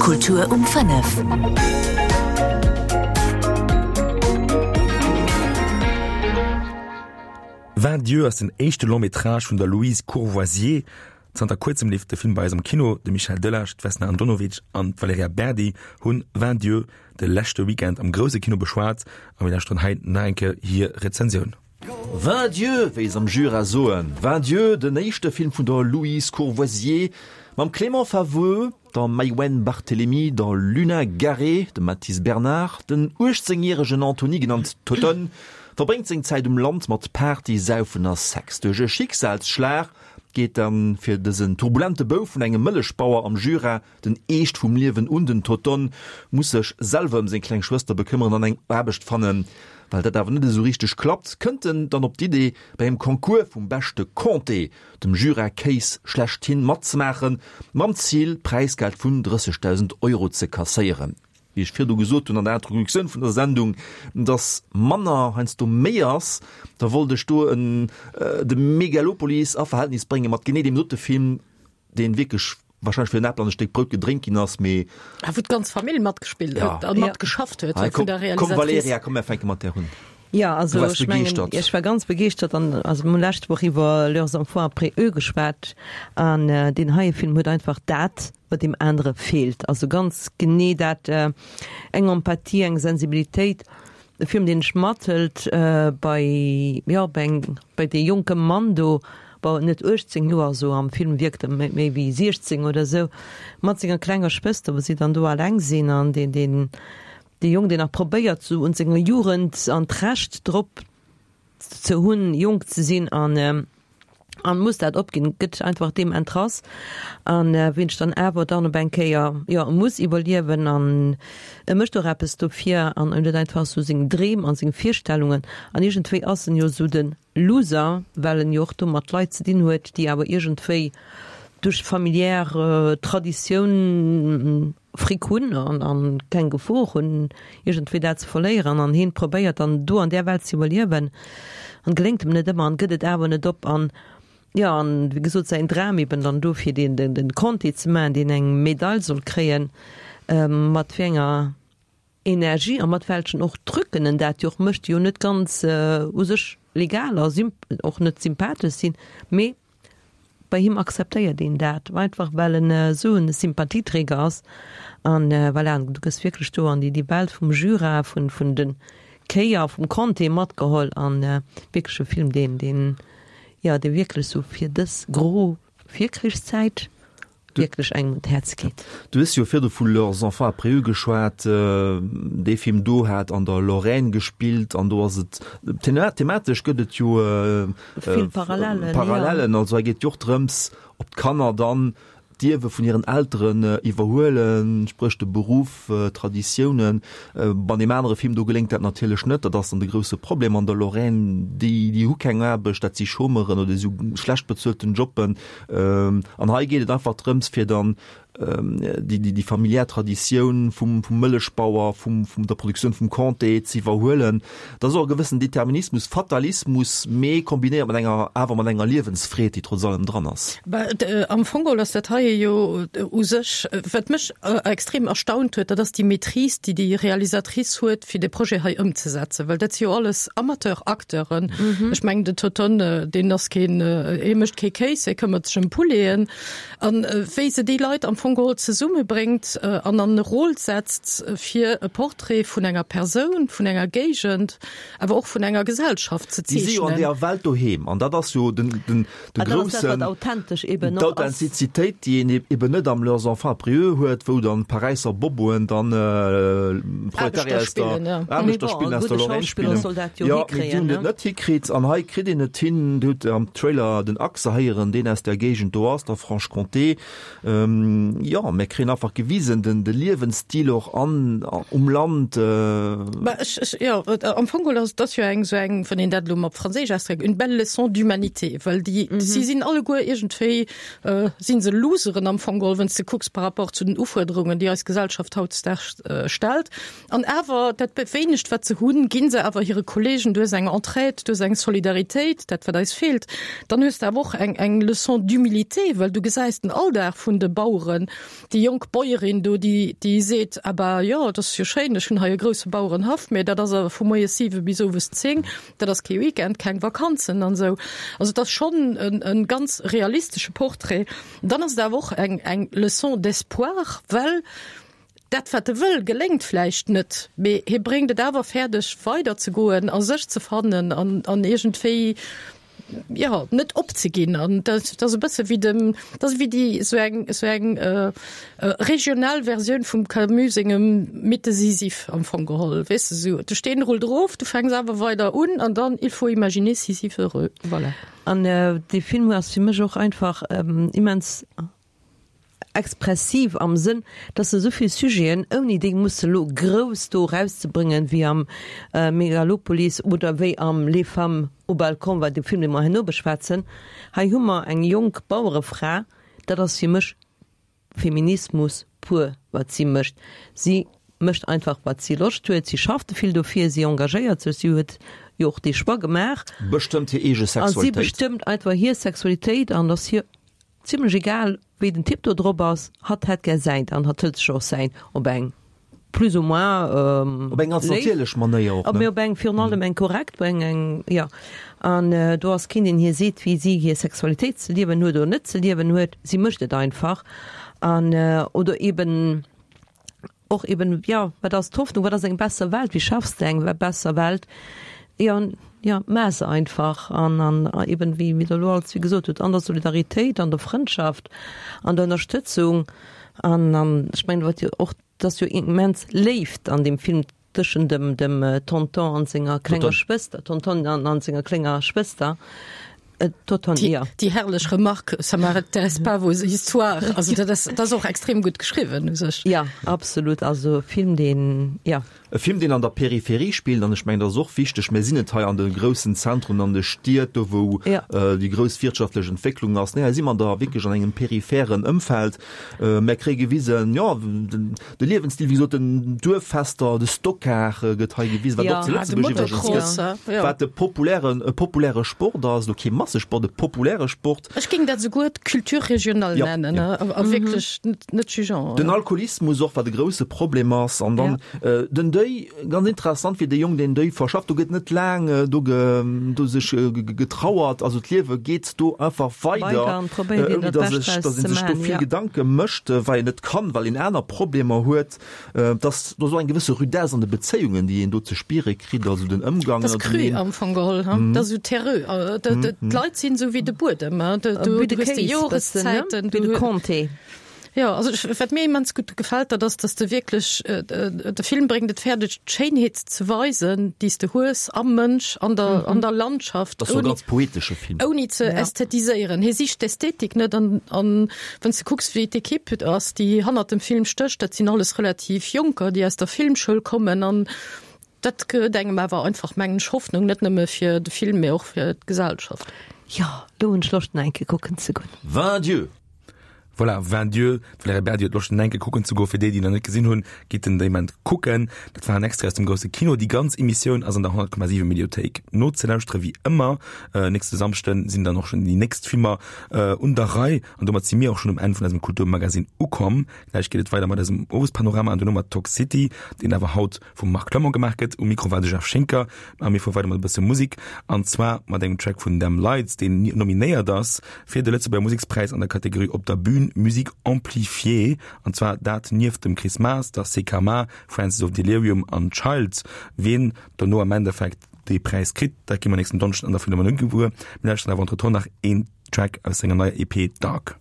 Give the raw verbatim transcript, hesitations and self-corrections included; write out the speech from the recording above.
Kultur um fënnef. Vingt Dieux ass den éischte Long-métrage vun der Louise Courvoisier. Zanter kuerzem leeft de Film bei eis am Kino. De Michel Delage, d'Vesna Andonovic an d'Valerija Berdi hunn Vingt Dieux de leschte Weekend am grousse Kino beschwat a mir lauschteren hei nach eng Kéier hir Rezensioun. Vingt Dieux, wéi se am Jura soen. Vingt Dieux, den éischte Film vun der Louise Courvoisier mam Clément Faveau, der Maïwenn Barthelemy, der Luna Garé, dem Mathis Bernard. Den uechtzéngjäregen Anthony, genannt Totonne, verbréngt seng Zäit um Land mat Party, Saufen a Sex. Duerch e Schicksalsschlag geet dann fir dësen turbulente Bouf vun engem Mëllechbauer am Jura den Eescht vum Liewen un. Den Totonne muss sech selwer ëm seng kleng Schwëster bekëmmeren an eng Aarbecht fannen. Well dat awer net esou richteg klappt, kënnt en dann op d'Idee, bei engem Concours vum beschte Comté, dem Jura-Kéis schlechthin, matzemaachen, mam Zil, Präisgeld vun drëssegdausend Euro ze kasséieren. Wéi ech virdu gesot hunn an der Introduktioun vun der Sendung, dass manner heiansdo méi ass, da wollt ech do en de Megalopolis a Verhältnis brénge mat genee deem dote Film, dee wierklech wahrscheinlech fir en Apel an e Stéck Brout gedréint ginn ass, mee. A wou d'ganz Famill matgespillt huet a matgeschafft huet, vun der Realisatrice. Komm Valerija, komm mir fänke mat där un. Jo, also ech mengen, ech war ganz begeeschtert an also mir hu lescht Woch iwwer Leurs enfants après eux geschwat an deen heie Film huet einfach dat, wat deem anere feelt, also ganz genee dat, eng Empathie, eng Sensibilitéit, e Film deen dech mathëlt bei, jo, bei eng, bei dee jonke Mann do, bon net uechtzéng Joer, esou am Film wierkt e méi wéi siechzéng oder esou, mat senger klenger Schwëster, wou si dann do alleng sinn an deen, deen, dee Jong, deen nach probéiert sou un senger Jugend an d'Recht drop ze hunn, jonk ze sinn an an muss dat opginn, gëtt einfach deem entrass an ween ech dann awer dann op eng Kéier, jo, e muss iwwerliewen an e mécht och eppes dofir an en huet einfach sou seng Dreem an seng Virstellungen an iergendwéi ass en jo sou de Loser, well en jo och do mat Leit ze dinn huet, déi awer iergendwéi duerch familiär Traditioun Fric hunn an keng Gefor hunn, iergendwéi dat ze verléieren. An hien probéiert dann do an där Welt ze iwwerliewen an geléngt em net ëmmer an gëtt et awer net op. An jo, an wéi gesot, säin Dram eben dann do fir deen den Comté ze maachen, deen eng Medail soll kréien, mat wéi enger Energie a mat welchen och Trucken en dat jo och mécht, déi jo net ganz u sech legal a och net sympathesch sinn, mee bei him akzeptéiert een dat einfach well en esou en Sympathieträger ass. An voilà, du gëss wierklech do an déi déi Welt vum Jura, vun vun de Kéi a vum Comté matgeholl an wierklech e Film deen deen jo dee wierklech esou fir dës gro Virkrichszäit wierklech engem un d'Häerz geet. Du hues jo virdu vu Leurs enfants après eux geschwat. Dee Film do hat an der Lorraine gespillt an do ass et thematesch gëtt et jo vill Parallellen. Parallellen. Also hei geet et jo och drëms, ob d'Kanner dann d'Ierwe vun hiren Elteren iwwerhuelen, spréch de Beruff, Traditiounen. An deem anere Film do geléngt dat natierlech net. Dat ass dann de grousse Problem an der Lorraine, déi déi hu keng Aarbecht, dat si Chômeuren oder si hu schlecht bezuelten Jobben. An hei geet et einfach drëms, fir dann déi familiär Traditioun vum Mëllechbauer, vum der Produktioun vum Comté ze iwwerhuelen. Dat ass och e gewëssen Determinismus, Fatalismus, mee kombinéiert mat enger, awer mat enger Liewensfreed, déi trotz allem dran ass. Am Fong geholl ass dat hei jo u sech, wat mech extrem erstaunt huet, dat ass déi Maîtrise, déi déi Realisatrice huet, fir dee Projet hei ëmzesetzen, well dat si jo alles Amateur-Acteuren. Ech mengen, den Totonne, deen ass keen, hie mécht kee Kéis, hie këmmert sech ëm Pouleten. An wéi se déi Leit am Fong geholl zesummebréngt an an e Rôle setzt, fir e Portrait vun enger Persoun, vun enger Géigend, awer och vun enger Gesellschaft ze Déi si jo an zeechnen. deeër Welt doheem. An dat ass jo den, den, de An dat ass dat, groussen, wat authentesch eben och ass. d'Authentizitéit, déi een eben net am Leurs enfants après eux huet, wou dann Paräisser Boboen dann Proletarier Aarbechter aus der, spillen, ja. Mee Aarbechter bon, spillen e aus der gudde Lorraine Schauspiller spillen. soll dat jo Jo, mee déi hikréien, hunn et ne? net hikritt. An hei kritt een et hin. Dir hutt am Trailer den Axe héieren, deen aus där Géigend do ass, der Franche-Comté. Jo, mir kréien einfach gewisen, den de Liewensstil och an um Land. Bah, ech, ech, jo, am Fong geholl ass dat jo eng esou eng, wann een dat elo op Franséisch ausdréckt, une belle leçon d'humanité, well déi, si sinn alleguer iergendwéi, si se Loseren am Fong geholl, wann s de kucks par rapport zu den Ufuerderungen, déi eis Gesellschaft hautdesdaags stellt. An awer, dat wéinegt, wat se hunn, gi se awer hire Kollegen. Du hues eng Entraide, du hues eng Solidaritéit, dat wat eis feelt. Dann hues de awer och eng, eng Leçon d'humilité, well du gesäis den Alldag vun de Baueren, goen. Déi jonk Bäuerin do, déi, déi seet, Aber jo, dat ass jo schéin, ech hunn hei e grousse Bauerenhaff, mee dat ass awer vu moies siwe bis owes zéng, dat ass kee Weekend, keng Vakanzen an esou. Also et ass schonn en, en ganz realistesche Portrait. Dann ass et awer och eng, eng Leçon d'espoir, well dat, wat e wëll, geléngt vläicht net, mee hie bréngt et awer fäerdeg, weiderzegoen a sech ze fannen an, an iergendwéi, jo, net opzeginn. An dat, dat ass e bësse wéi dem, dat ass wéi déi, esou eng, esou eng regional Versioun vum Camus sengem Mythe de Sisyphe am Fong geholl, weess de, esou, de Steen rullt erof, du fänks awer weider un an dann, il faut imaginer Sisyphe heureux. Voilà. An dee Film ass fir mech och einfach immens expressiv am Sënn, dass se esou vill Sujeten, ouni déi musse lo grouss do erauszebréngen, wéi am Megalopolis oder wéi am Les femmes au balcon, wat de Film, dee mer herno beschwätzen. Hei hu mer eng jonk Bauerefra, dat ass fir mech Feminismus pur, wat si mécht. Si mécht einfach, wat si Loscht huet, si schafft vill dofir, si engagéiert sech, si huet jo och dee Choix gemaach. Bestëmmt hir eege Sexualitéit. A si bestëmmt einfach hir Sexualitéit an ass hir zimlech egal, wéi den Typ do drop ass. Hatt hätt gär säint an hatt hëlt sech och säin op eng plus ou moins léif. Op eng ganz natierlech Manéier och, ne? Mee op eng virun allem eng korrekt, op eng, eng, jo. An do ass keen, deen hir seet, wéi si hir Sexualitéit ze liewen huet oder net ze liewen huet. Si mécht et einfach. An, oder eben och eben, jo, wat ass d'Hoffnung, wat ass eng besser Welt, wéi schaffs de eng besser Welt? Jo, jo, maach se einfach. An, an eben, wéi Der elo all zwee gesot hutt, an der Solidaritéit, an der Frëndschaft, an der Ënnerstëtzung. An, an ech mengen, wat jo och, et ass jo immens Léift an deem Film tëschent dem, dem Tonton an senger klenger Schwëster, Tonton an, an senger klenger Schwëster. Toton, ja. Déi herrlech Remarque, ça m'intéresse pas vos histoires, also dat ass, dat ass och extrem gutt geschriwwen u sech. Ja, absolut, also e Film, deen, ja. E Film, deen an der Peripherie spillt, an ech mengen, dat ass och wichteg, mir sinn net hei an de groussen Zentren, an de Stied, do wou déi grouss wirtschaftlech Entwécklung ass, nee, hei si mer da wierklech an engem peripheren Ëmfeld. Mär kréie gewisen, jo, de Liewensstil, wéi gesot, den Duerffester, de Stockar gëtt hei gewisen, wat och zu Lëtzebuerg iwwregens gëtt, wat e populären, e populäre Sport ass, elo kee Massesport, e populäre Sport. Ech géing dat esouguer d'Culture régionale nennen, a wierklech net jugeant. Den Alkoholismus och, wat e grousse Problem ass. An dann den Deuil, ganz interessant, wéi de Jong deen Deuil verschafft. Do gëtt net laang do do sech getrauert, also d'Liewe geet do einfach weider, ouni datt sech, datt ee sech do vill Gedanke mécht, well een net kann, well een aner Problemer huet. Dass do esou eng gewësse Rudesse an de Bezéiungen, déi een do ze spiere kritt, also den Ëmgang Dat ass cru am Fong geholl, he? Dat ass esou terreux. D'Leit sinn esou wéi de Buedem, he? Du hues déi Joreszäiten, du hues. Jo, also ech, wat mir immens gutt gefält, dat ass, dass de wierklech, de Film bréngt et fäerdeg, d'Schéinheet ze weisen, déi s de hues am Mënsch, an der, an der Landschaft, Dat ass jo e ganz poetesche Film. ouni ze ästhetiséieren. Hie sicht d'Ästhetik net an, an wann s de kucks, wéi d'Equipe ass, déi hannert dem Film stécht, dat sinn alles relativ Jonker, déi aus der Filmschoul kommen an dat gëtt engem awer einfach, mengen ech, Hoffnung, net nëmme fir de Film, mee och fir d'Gesellschaft. Jo, lo hunn ech Loscht, en eng Kéier kucken ze goen. Vingt Dieux! Voilà, Vingt Dieux, d'Valerija Berdi huet Loscht en enke kucken ze goen. Fir déi, déi nach net gesinn hunn, gitt en déi Ament kucken. Dat war en Extrait aus dem grousse Kino. Déi ganz Emissioun ass an der honnert Komma siwen Mediothéik nozelauschteren, wéi ëmmer. Nächste Samschden sinn dann och schonn déi nächst Filmer un der Rei. An domat si mir och schonn um Enn vun eisem Kulturmagazin ukomm. Gläich geet et weider mat eisem Owespanorama an duerno mat Talk City, deen awer haut vum Marc Clement gemaach gëtt. Um Mikro war de Jeff Schinker a mir fuere weider mat e bësse Musek, an zwar mat engem Track vun Them Lights, deen nominéiert ass fir de Lëtzebuerger Musekspräis an der Kategorie Op der Bühn, Musique amplifiée, an zwar dat nieft dem Chris Maas, der C K M A, Francis of Delirium an Childs. Wien dono am Endeffekt dee Präis kritt, dat gi mer nächsten Donneschden an der Philharmonie gewuer. Mir lauschteren awer entretemps nach een Track aus senger neier E P Dark.